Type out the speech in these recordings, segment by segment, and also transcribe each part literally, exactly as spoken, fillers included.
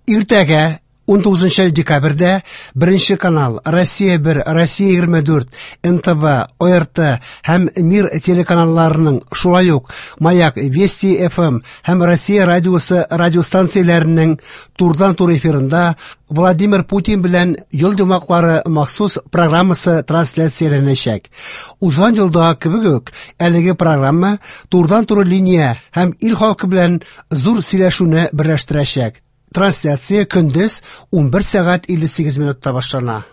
Иртәгә унтугызынчы декабрьдә Беренче канал, Россия бер, Россия егерме дүрт, эн тэ вэ, о эр тэ һәм Мир телеканалларының, шулай ук Маяк, Вести эф эм һәм Россия радиосы радиостанцияләренең турыдан-туры эфирында Владимир Путин белән ел йомгаклары махсус программасы трансляцияләнәчәк. Узган елда кебек үк әлеге программа турыдан-туры линия һәм ил халкы белән зур сөйләшүне берләштерәчәк. Трансляция көндез унбер сәгать илле сигез минутта башлана.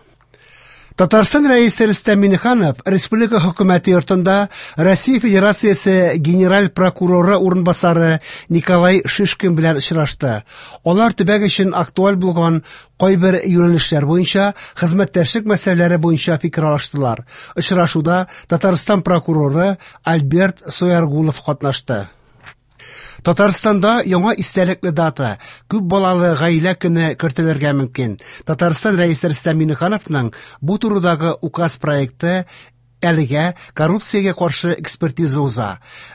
Татарстан Рәисе Рөстәм Миңнеханов Республика Хөкүмәте йортында Россия Федерациясе Генераль прокуроры урынбасары Николай Шишкин белән очрашты. Алар төбәк өчен актуаль булган кайбер юнәлешләр буенча хезмәттәшлек мәсьәләләре буенча фикер алыштылар. Очрашуда Татарстан прокуроры Альберт Сояргулов катнашты. Татарстанда яңа истәлекле дата, күп балалы гаилә көне кертелергә мөмкин. Татарстан Рәисе Рөстәм Миңнехановның бу турыдагы указ проекты әлегә коррупциягә каршы экспертиза уза.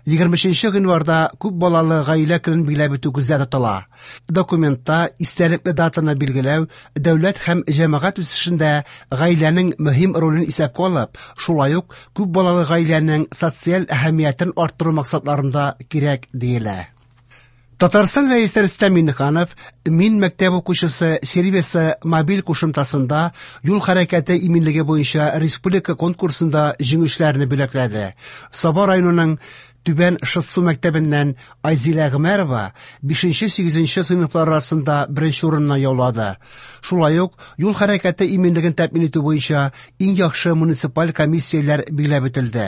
Егерме өченче гыйнварда күп балалы гаилә көнен билгеләп үтү күздә тотыла. Документта истәлекле датаны билгеләү дәүләт һәм җәмәгать үсешендә гаиләнең мөһим ролен исәпкә алып, шулай ук күп балалы гаиләнең социаль әһәмиятен арттыру максатларында кирәк диелә. Татарстан Рәисе Рөстәм Миңнеханов Мин мәктәп укучысы сервисы мобиль кушымтасында юл хәрәкәте иминлеге буенча республика конкурсында җиңүчеләрне бүләкләде. Саба районының Түбән Шытсу мәктәбеннән Айзилә Гомәрова бишенче-сигезенче сыйныфлар арасында беренче урынны яулады. Шулай ук юл хәрәкәте иминлеген тәэмин итү буенча иң яхшы муниципаль комиссияләр билгеләп үтелде.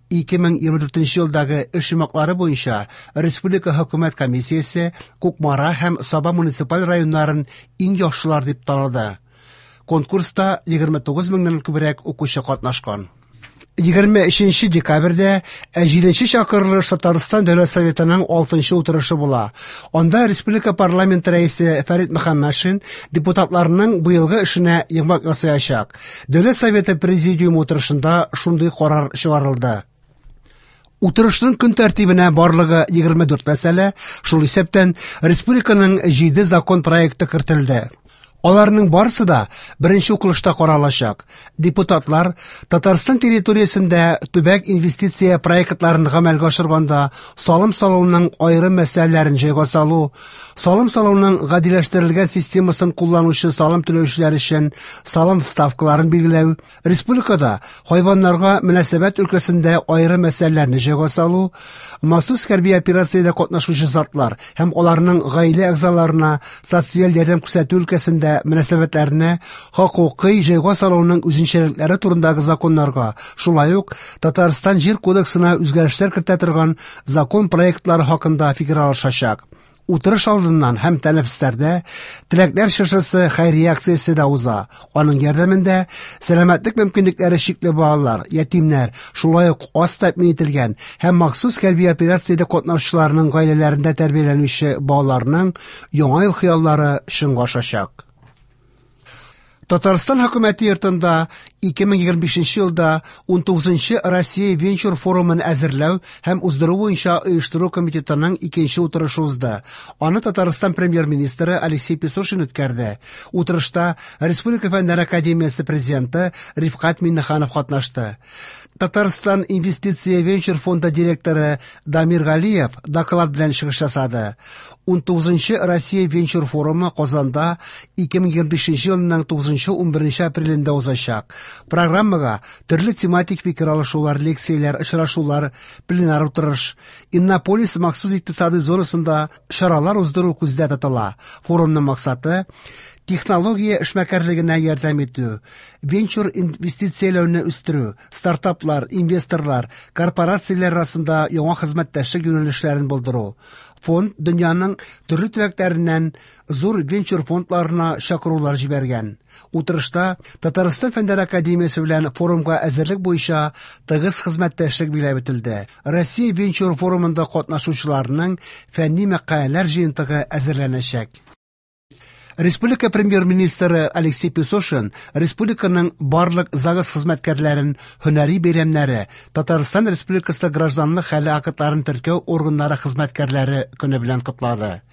Ике мең егерме дүртенче елдагы эш йомгаклары буенча Республика Хөкүмәт комиссиясе Кукмара һәм Саба муниципаль районнарын иң яхшылар дип таныды. Конкурста егерме тугыз меңнән күбрәк укучы катнашкан. Егерме өченче декабрьдә җиденче чакырылыш Татарстан Дәүләт Советының алтынчы утырышы була. Анда Республика парламенты рәисе Фәрит Мөхәммәтшин депутатларның быелгы эшенә йомгак ясаячак. Дәүләт Советы президиумы утырышында шундый карар чыгарылды. Утырышның көн тәртибенә барлыгы егерме дүрт мәсьәлә, шул исәптән республиканың җиде закон проекты кертелде. Аларның барысы да беренче укылышта каралачак. Депутатлар Татарстан территориясендә төбәк инвестиция проектларын гамәлгә ашырганда салым салуның аерым мәсьәләләрен җайга салу, салым салуның гадиләштерелгән системасын кулланучы салым түләүчеләр өчен салым ставкаларын билгеләү, республикада хайваннарга мөнәсәбәт өлкәсендә аерым мәсьәләләрне җайга салу, махсус хәрби операциядә катнашучы затлар һәм аларның гаилә әгъзаларына социаль ярдәм күрсәтү өлкәсендә мөнәсәбәтләрне хокукый җайга салуның үзенчәлекләре турындагы законнарга, шулай ук Татарстан Җир кодексына үзгәрешләр кертә торган закон проектлары хакында фикер алышачак. Утырыш алдыннан һәм тәнәфесләрдә Теләкләр чыршысы хәйрия акциясе дә уза. Аның ярдәмендә сәламәтлек мөмкинлекләре чикле балалар, ятимнәр, шулай ук аз тәэмин ителгән һәм махсус хәрби операциядә катнашучыларның гаиләләрендә тәрбияләнүче балаларның яңа ел хыяллары чынга ашачак. Татарстан хөкүмәте йортында ике мең егерме бишенче елда унтугызынчы Россия венчур форумын әзерләү һәм уздыру буенча оештыру комитетының икенче утырышы узды. Аны Татарстан премьер-министры Алексей Песошин үткәрде. Утырышта Республика Фәннәр академиясе президенты Рифкать Миңнеханов катнашты. Татарстан инвестиция венчур фонды директоры Дамир Галиев доклад белән чыгыш ясады. Унтугызынчы Россия венчур форумы Казанда ике мең егерме бишенче елның тугызынчы унберенче апрелендә узачак. Программага төрле тематик фикер алышулар, лекцияләр, очрашулар, пленар утырыш, Иннополис махсус икътисади зонасында чаралар уздыру күздә тотыла. Форумның максаты технология эшмәкәрлегенә ярдәм итү, венчур инвестицияләүне үстерү, стартаплар, инвесторлар, корпорацияләр арасында яңа хезмәттәшлек юнәлешләрен булдыру. Фонд дөньяның төрле төбәкләреннән зур венчур фондларына чакырулар җибәргән. Утырышта Татарстан Фәннәр академиясе белән форумга әзерлек буенча тыгыз хезмәттәшлек билгеләп үтелде. Россия венчур форумында катнашучыларның фәнни мәкаләләр җыентыгы әзерләнәчәк. Республика премьер-министры Алексей Песошин республиканың барлык ЗАГС хезмәткәрләрен һөнәри бәйрәмнәре, Татарстан Республикасы гражданлык хәле актларын теркәү органнары хезмәткәрләре көне белән котлады.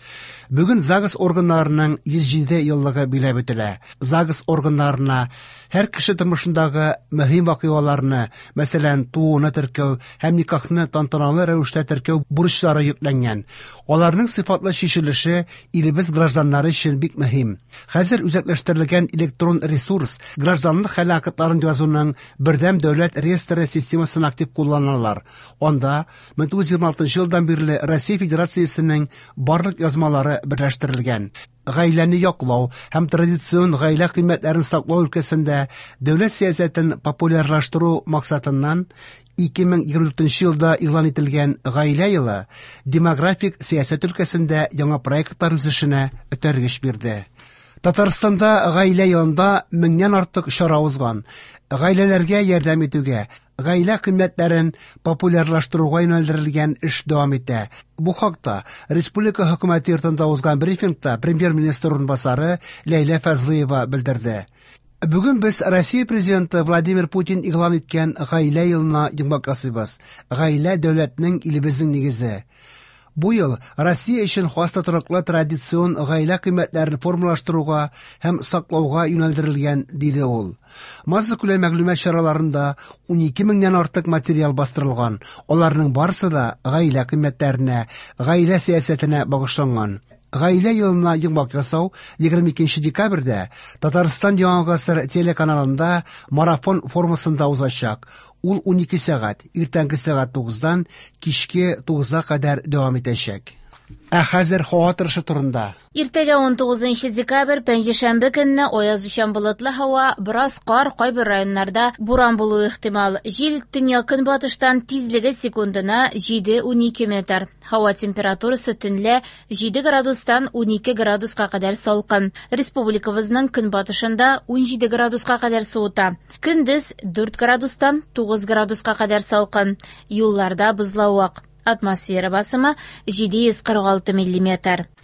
Бүген ЗАГС органнарының йөз җиде еллыгы биләп үтелә. ЗАГС органнарына һәр кеше тормышындагы мөһим вакыйгаларны, мәсәлән, тууны теркәү һәм никахны тантаналы рәвештә теркәү бурычлары йөкләнгән. Аларның сыйфатлы чишелеше илебез гражданнары өчен бик мөһим. Хәзер үзәкләштерелгән электрон ресурс гражданлык хәле актларын язуның бердәм дәүләт реестры системасын актив кулланалар. Анда мең тугыз йөз егерме алтынчы елдан бирле Россия Федерациясенең барлык язмалары берләштерелгән. Гаиләне яклау һәм традицион гаилә кыйммәтләрен саклау өлкәсендә дәүләт сәясәтен популярлаштыру максатыннан ике мең егерме дүртенче елда игълан ителгән Гаилә елы демографик сәясәт өлкәсендә яңа проектлар үсешенә этәргеч бирде. Татарстанда Гаилә елында меңнән артык чара узган. Гаиләләргә ярдәм итүгә, гаилә кыйммәтләрен популярлаштыруга юнәлдерелгән эш дәвам итә. Бу хакта Республика хөкүмәте йортында узган брифингта премьер-министр урынбасары Ләйлә Фазлыева белдерде. Бүген без Россия президенты Владимир Путин игълан иткән Гаилә елына йомгак ясыйбыз. Гаилә дәүләтнең, илебезнең нигезе. Бу ел Россия өчен хас тотрыклы традицион гаилә кыйммәтләрен формалаштыруга һәм саклауга юнәлдерелгән, диде ул. Массакүләм мәгълүмат чараларында ун ике меңнән артык материал бастырылган. Аларның барысы да гаилә кыйммәтләренә, гаилә сәясәтенә багышланган. Гаилә елына йомгак ясау егерме икенче декабрьдә Татарстан Яңа гасыр телеканалында марафон формасында узачак. Ул ун ике сәгать, иртәнге сәгать тугыздан кичке тугызга кадәр дәвам итәчәк. Ә хәзер һава торышы турында. Иртәгә ун тугызынчы декабрь, пәнҗешәмбе көнне аяз өчен болытлы һава, бераз кар, кайбер районнарда буран булуы ихтимал. Җил төньяк-көнбатыштан тизлеге секундына җиде ун ике метр. Һава температурасы төнлә җиде градустан ун ике градуска кадәр салкын. Республикабызның көнбатышында ун җиде градуска кадәр суыта. Көндез дүрт градустан тугыз градуска кадәр салкын. Юлларда бозлавык. Атмосфера басымы җиде йөз кырык алты миллиметр.